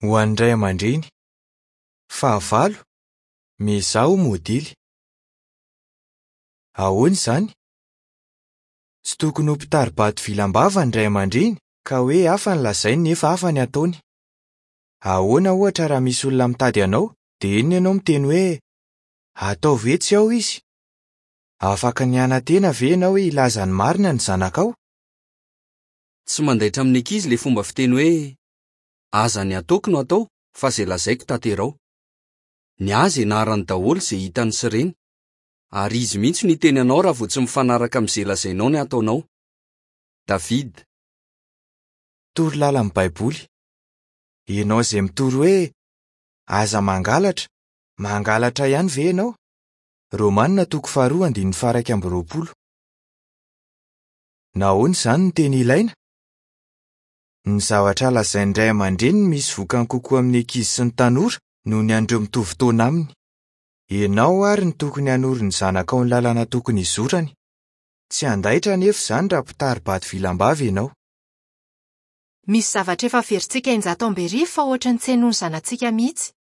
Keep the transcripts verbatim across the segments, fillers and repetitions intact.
Ho an'ny ray aman-dreny. Fahavalo, miezaha ho modely. Ahoana izany? Tsy tokony ho mpitari-bato vilam-bava ny ray aman-dreny ka hoe hafa ny lazainy nefa hafa ny ataony. Ahoana ohatra raha misy olona mitady anao dia inona ianao miteny hoe ataovy hoe tsy ao izy? Afaka ny hanantena ve ianao hoe hilaza ny marina ny zanakao? Tsy mandaitra amin'ny ankizy ilay fomba fiteny hoe aza ny ataoko no atao fa izay lazaiko tanterao. Ny azy ianarany daholo izay hitany sy reny. Ary izy mihitsy no hiteny anao raha vao tsy mifanaraka amin'izay lazainao ny ataonao. David. Toro lalan'ny Baiboly. Ianao izay mitory hoe aza mangalatra, mangalatra ihany ve ianao? Romanina toko faharoa andininy faha-iraika amby roapolo. Nahoana izany no tena ilaina? Ny zavatra lazain'ny ray aman-dreny no misy vokany kokoa amin'ny ankizy sy ny tanora noho ny an'ireo mitovy taona aminy. Ianao àry no tokony hanoro ny zanakao ny lalana tokony hizorany. Tsy handaitra anefa izany raha mpitari-bato vilam-bava ianao. Misy zavatra efa averintsika injato amby arivo fa ohatran'ny tsy hainoan'ny zanatsika mihitsy.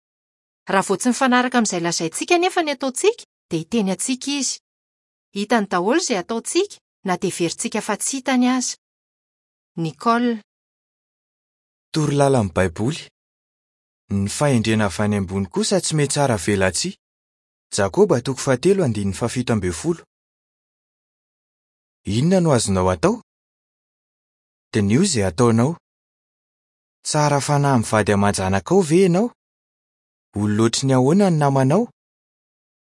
Raha vao tsy mifanaraka amin'izay lazaintsika anefa ny ataontsika dia hiteny antsika izy. Hitany daholo izay ataontsika na dia heverintsika fa tsy hitany aza. Nicole. Toro lalan'ny Baiboly. Ny fahendrena avy any ambony kosa tsy mihatsara velatsihy. Jakoba toko fahatelo andininy fahafito ambin'ny folo. Inona no azonao atao? Diniho izay ataonao. Tsara fanahy amin'ny vady aman-janakao ve ianao? Olona ohatry ny ahoana ny namanao?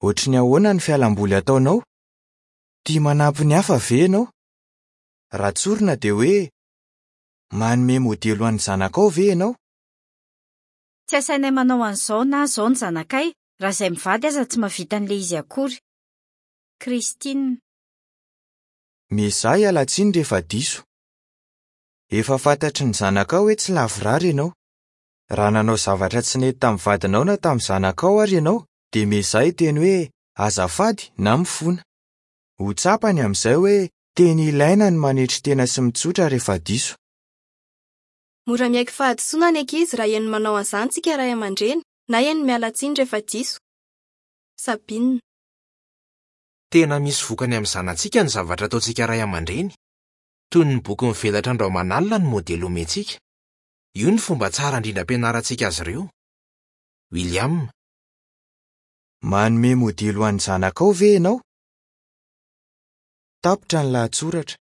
Ohatry ny ahoana ny fialamboly ataonao? Tia manampy ny hafa ve ianao? Raha tsorina dia hoe manome modely ho an'ny zanakao ve ianao? Tsy asainay manao an'izao na izao ny zanakay raha izay mivady aza tsy mahavita an'ilay izy akory. Christine. Miezaha hiala tsiny rehefa diso. Efa fantatry ny zanakao hoe tsy lavorary ianao. Raha nanao zavatra tsy nety tamin'ny vadinao na tamin'ny zanakao ary ianao dia miezaha hiteny hoe azafady na mifona. Ho tsapany amin'izay hoe teny ilaina ny manetry tena sy mitsotra rehefa diso. Mora miaiky fahadisoana ny ankizy raha heno manao an'izany tsika ray aman-dreny na heno miala tsiny rehefa diso. Sabine. Tena misy vokany amin'ny zanatsika ny zavatra ataontsika ray aman-dreny. Toy ny boky mivelatra andro aman'alina ny modely omentsika. Io ny fomba tsara indrindra ampianarantsika azy ireo. William. Manome modely ho an'ny zanakao ve ianao? Tapitra ny lahatsoratra.